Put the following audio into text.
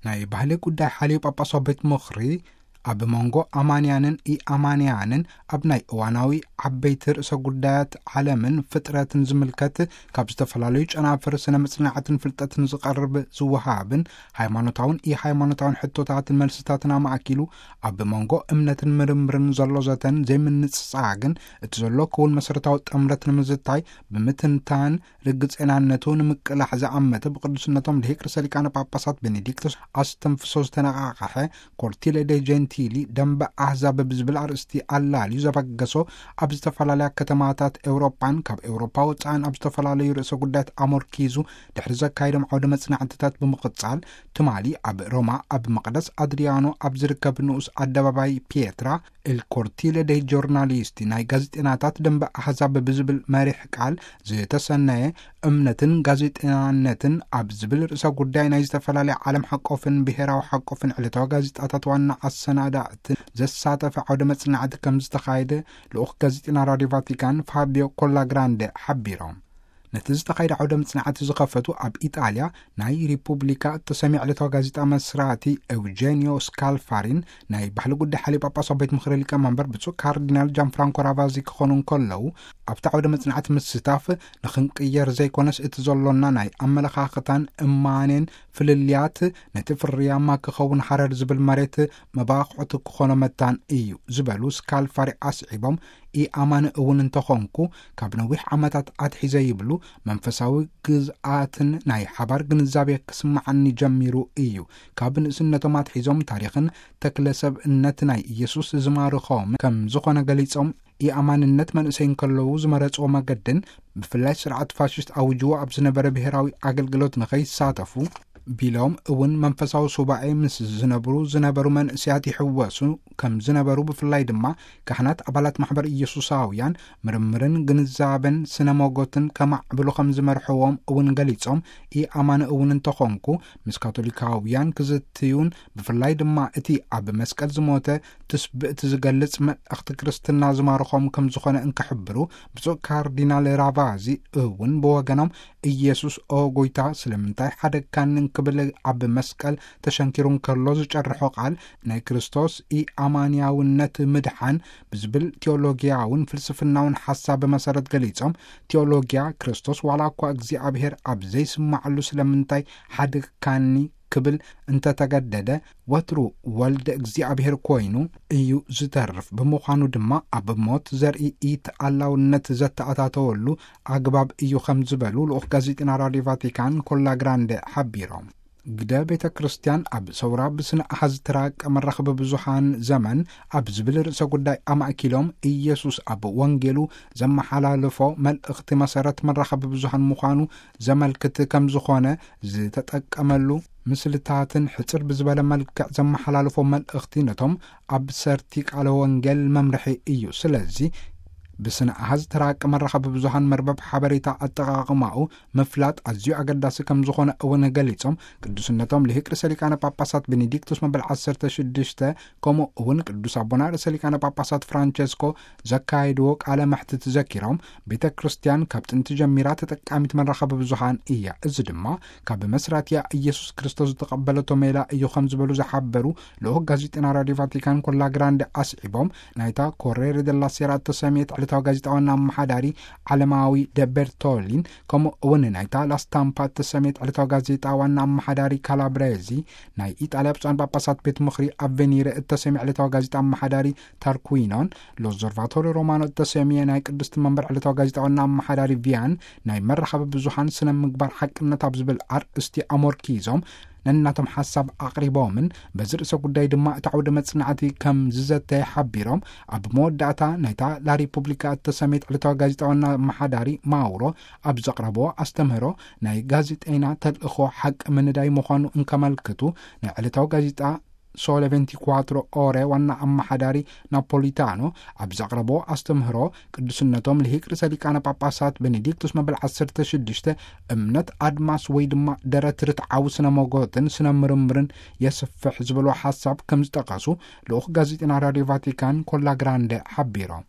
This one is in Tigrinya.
ናይ ባህሊ ጉዳይ ሓልዩ ጳጳሳዊ ቤት ምኽሪ፣ ኣብ መንጎ ኣማንያንን ኢኣማንያንን ኣብ ናይ እዋናዊ ዓበይቲ ርእሰ ጉዳያት ዓለምን ፍጥረትን ዝምልከት፣ ካብ ዝተፈላለዩ ጨናፍር ስነ መጽናዕትን ፍልጠትን ዝቐርብ ዝወሃብን ሃይማኖታውን ኢሃይማኖታውን ሕቶታትን መልስታትን ኣማእኪሉ፣ ኣብ መንጎ እምነትን ምርምርን ዘሎ ዘተን ዘይምንጽጻግን፣ እቲ ዘሎ ክውን መሰረታዊ ጥምረት ንምዝታይ ብምትንታን፣ ርግጽናነቱ ንምቅላሕ ዝኣመተ ብቅዱስነቶም ልሂቅ ርእሰ ሊቃነ ጳጳሳት ቤኔዲክቶስ ኣስተንፍሶ ዝተነቓቕሐ፣ ኮርቲለ ዴ ጀንቲሊ ደንበ ኣህዛብ ብዝብል ኣርእስቲ ኣላልዩ ዘበገሶ፣ ኣብ ዝተፈላለያ ከተማታት ኤውሮጳን ካብ ኤውሮጳ ወጻእን ኣብ ዝተፈላለዩ ርእሰ ጉዳያት ኣመርኪዙ ድሕሪ ዘካየዶም ዓውደ መጽናዕትታት ብምቕጻል፣ ትማሊ ኣብ ሮማ ኣብ መቕደስ ኣድሪያኖ ኣብ ዝርከብ ንኡስ ኣደባባይ ፒየትራ ኤል ኮርቲለ ደይ ጆርናሊስቲ፣ ናይ ጋዜጠናታት ደንበ ኣህዛብ ብዝብል መሪሕ ቃል ዝተሰነየ፣ እምነትን ጋዜጠናነትን ኣብ ዝብል ርእሰ ጉዳይ ናይ ዝተፈላለያ ዓለም ሓቆፍን ብሔራዊ ሓቆፍን ዕለታዊ ጋዜጣታት ዋና ኣሰናዳእትን ዘሳተፈ ዓውደ መጽናዕቲ ከም ዝተኻየደ ልኡኽ ጋዜጠና ራድዮ ቫቲካን ፋቢዮ ኮላግራንደ ሓቢሮም። ነቲ ዝተኻየደ ዓውደ መጽናዕቲ ዝኸፈቱ ኣብ ኢጣልያ ናይ ሪፑብሊካ እተሰምየ ዕለታዊ ጋዜጣ መስራቲ ኤውጀኒዮ ስካልፋሪን ናይ ባህሊ ጉዳይ ሓልዩ ጳጳሳዊ ቤት ምኽሪ ሊቀመንበር ብፁዕ ካርዲናል ጃን ፍራንኮ ራቫዚ ክኾኑ እንከለዉ፣ ኣብቲ ዓውደ መጽናዕቲ ምስታፍ ንኽንቅየር ዘይኮነስ እቲ ዘሎና ናይ ኣመለኻኽታን እማኔን ፍልልያት ነቲ ፍርያማ ክኸውን ሃረር ዝብል መሬት መባቕዑቲ ክኾኖ መታን እዩ ዝበሉ ስካልፋሪ ኣስዒቦም፣ ኢኣማኒ እውን እንተኾንኩ፣ ካብ ነዊሕ ዓመታት ኣትሒዘ ይብሉ፣ መንፈሳዊ ግዝኣትን ናይ ሓባር ግንዛቤ ክስምዓኒ ጀሚሩ እዩ። ካብ ንእስነቶም ኣትሒዞም ታሪኽን ተክለ ሰብእነት ናይ ኢየሱስ ዝማርኾም ከም ዝኾነ ገሊጾም፣ ኢኣማንነት መንእሰይ እንከለዉ ዝመረጽዎ መገድን ብፍላይ ስርዓት ፋሽስት ኣውጅዎ ኣብ ዝነበረ ብሔራዊ ኣገልግሎት ንኸይሳተፉ ቢሎም እውን መንፈሳዊ ሱባኤ ምስ ዝነብሩ ዝነበሩ መንእሰያት ይሕወሱ ከም ዝነበሩ፣ ብፍላይ ድማ ካህናት ኣባላት ማሕበር ኢየሱሳውያን ምርምርን ግንዛበን ስነ ሞጎትን ከማዕብሉ ከም ዝመርሕዎም እውን ገሊጾም፣ ኢኣማኒ እውን እንተኾንኩ ምስ ካቶሊካውያን ክዝትዩን ብፍላይ ድማ እቲ ኣብ መስቀል ዝሞተ ትስብእቲ ዝገልጽ መልእኽቲ ክርስትና ዝማርኾም ከም ዝኾነ እንክሕብሩ፣ ብፁዕ ካርዲናል ራቫዚ እውን ብወገኖም፣ ኢየሱስ ኦ ጎይታ ስለምንታይ ሓደግካኒ እንክብል ኣብ መስቀል ተሸንኪሩ እንከሎ ዝጨርሖ ቃል ናይ ክርስቶስ ኢኣማንያውነት ምድሓን ብዝብል ቲዮሎጊያውን ፍልስፍናውን ሓሳብ መሰረት ገሊጾም፣ ቲዮሎጊያ ክርስቶስ ዋላ እኳ እግዚኣብሔር ኣብ ዘይስማዓሉ ስለምንታይ ሓደግካኒ ክብል እንተተገደደ፣ ወትሩ ወልደ እግዚኣብሔር ኮይኑ እዩ ዝተርፍ። ብምዃኑ ድማ ኣብ ሞት ዘርኢ ኢተኣላውነት ዘተኣታተወሉ ኣግባብ እዩ ከም ዝበሉ ልኡኽ ጋዜጠና ራድዮ ቫቲካን ኮላ ግራንደ ሓቢሮም። ግደ ቤተ ክርስቲያን ኣብ ሰውራ ብስነ ኣሃዝ ትራቀ መራኸቢ ብዙሃን ዘመን ኣብ ዝብል ርእሰ ጉዳይ ኣማእኪሎም፣ ኢየሱስ ኣብ ወንጌሉ ዘመሓላልፎ መልእኽቲ መሰረት መራኸቢ ብዙሃን ምዃኑ ዘመልክት ከም ዝኾነ ዝተጠቀመሉ ምስልታትን ሕጽር ብዝበለ መልክዕ ዘመሓላልፎ መልእኽቲ ነቶም ኣብ ሰርቲ ቃለ ወንጌል መምርሒ እዩ። ስለዚ ብስነ ኣሃዝ ተራቂ መራኸቢ ብዙሃን መርበብ ሓበሬታ ኣጠቓቕማኡ ምፍላጥ ኣዝዩ ኣገዳሲ ከም ዝኾነ እውን ገሊጾም፣ ቅዱስነቶም ልሂቅ ርእሰ ሊቃነ ጳጳሳት ቤኔዲክቱስ መበል ዓሰርተ ሽዱሽተ፣ ከምኡ እውን ቅዱስ ኣቦና ርእሰ ሊቃነ ጳጳሳት ፍራንቸስኮ ዘካየድዎ ቃለ መሕትት ዘኪሮም፣ ቤተ ክርስቲያን ካብ ጥንቲ ጀሚራ ተጠቃሚት መራኸቢ ብዙሃን እያ። እዚ ድማ ካብ መስራትያ ኢየሱስ ክርስቶስ ዝተቐበለቶ ሜላ እዩ ከም ዝበሉ ዝሓበሩ ልኡኽ ጋዜጠና ራድዮ ቫቲካን ኮላ ግራንደ ኣስዒቦም፣ ናይታ ኮሬሬ ደላ ሴራ እተሰምየት ዕለታዊ ጋዜጣ ዋና ኣመሓዳሪ ዓለማዊ ደበርቶሊን፣ ከምኡ እውን ናይታ ላስታምፓ እተሰምየት ዕለታዊ ጋዜጣ ዋና ኣመሓዳሪ ካላብሬዚ፣ ናይ ኢጣልያ ብፁዓን ጳጳሳት ቤት ምኽሪ ኣቬኒረ እተሰምየ ዕለታዊ ጋዜጣ ኣመሓዳሪ ታርኩዊኖን፣ ሎዞርቫቶሪ ሮማኖ እተሰምየ ናይ ቅድስቲ መንበር ዕለታዊ ጋዜጣ ዋና ኣመሓዳሪ ቪያን፣ ናይ መራኸቢ ብዙሃን ስነ ምግባር ሓቅነት ኣብ ዝብል ኣርእስቲ ኣሞርኪዞም ነናቶም ሓሳብ ኣቕሪቦምን፣ በዚ ርእሰ ጉዳይ ድማ እቲ ዓውደ መጽናዕቲ ከም ዝዘተየ ሓቢሮም፣ ኣብ መወዳእታ ናይታ ላሪፑብሊካ እተሰመየት ዕለታዊ ጋዜጣ ዋና ኣመሓዳሪ ማውሮ ኣብ ዘቕረብዎ ኣስተምህሮ፣ ናይ ጋዜጠይና ተልእኾ ሓቂ ምንዳይ ምዃኑ እንከመልክቱ፣ ናይ ዕለታዊ ጋዜጣ ሶለ ቬንቲ ኳትሮ ኦረ ዋና ኣመሓዳሪ ናፖሊታኖ ኣብ ዘቕረቦ ኣስተምህሮ፣ ቅዱስነቶም ልሂቅ ርእሰ ሊቃነ ጳጳሳት ቤኔዲክቱስ መበል ዓሰርተ ሽዱሽተ፣ እምነት ኣድማስ ወይ ድማ ደረት ርትዓዊ ስነ መጎትን ስነ ምርምርን የስፍሕ ዝበሎ ሓሳብ ከም ዝጠቐሱ ልኡኽ ጋዜጠና ራድዮ ቫቲካን ኮላ ግራንደ ሓቢሮም።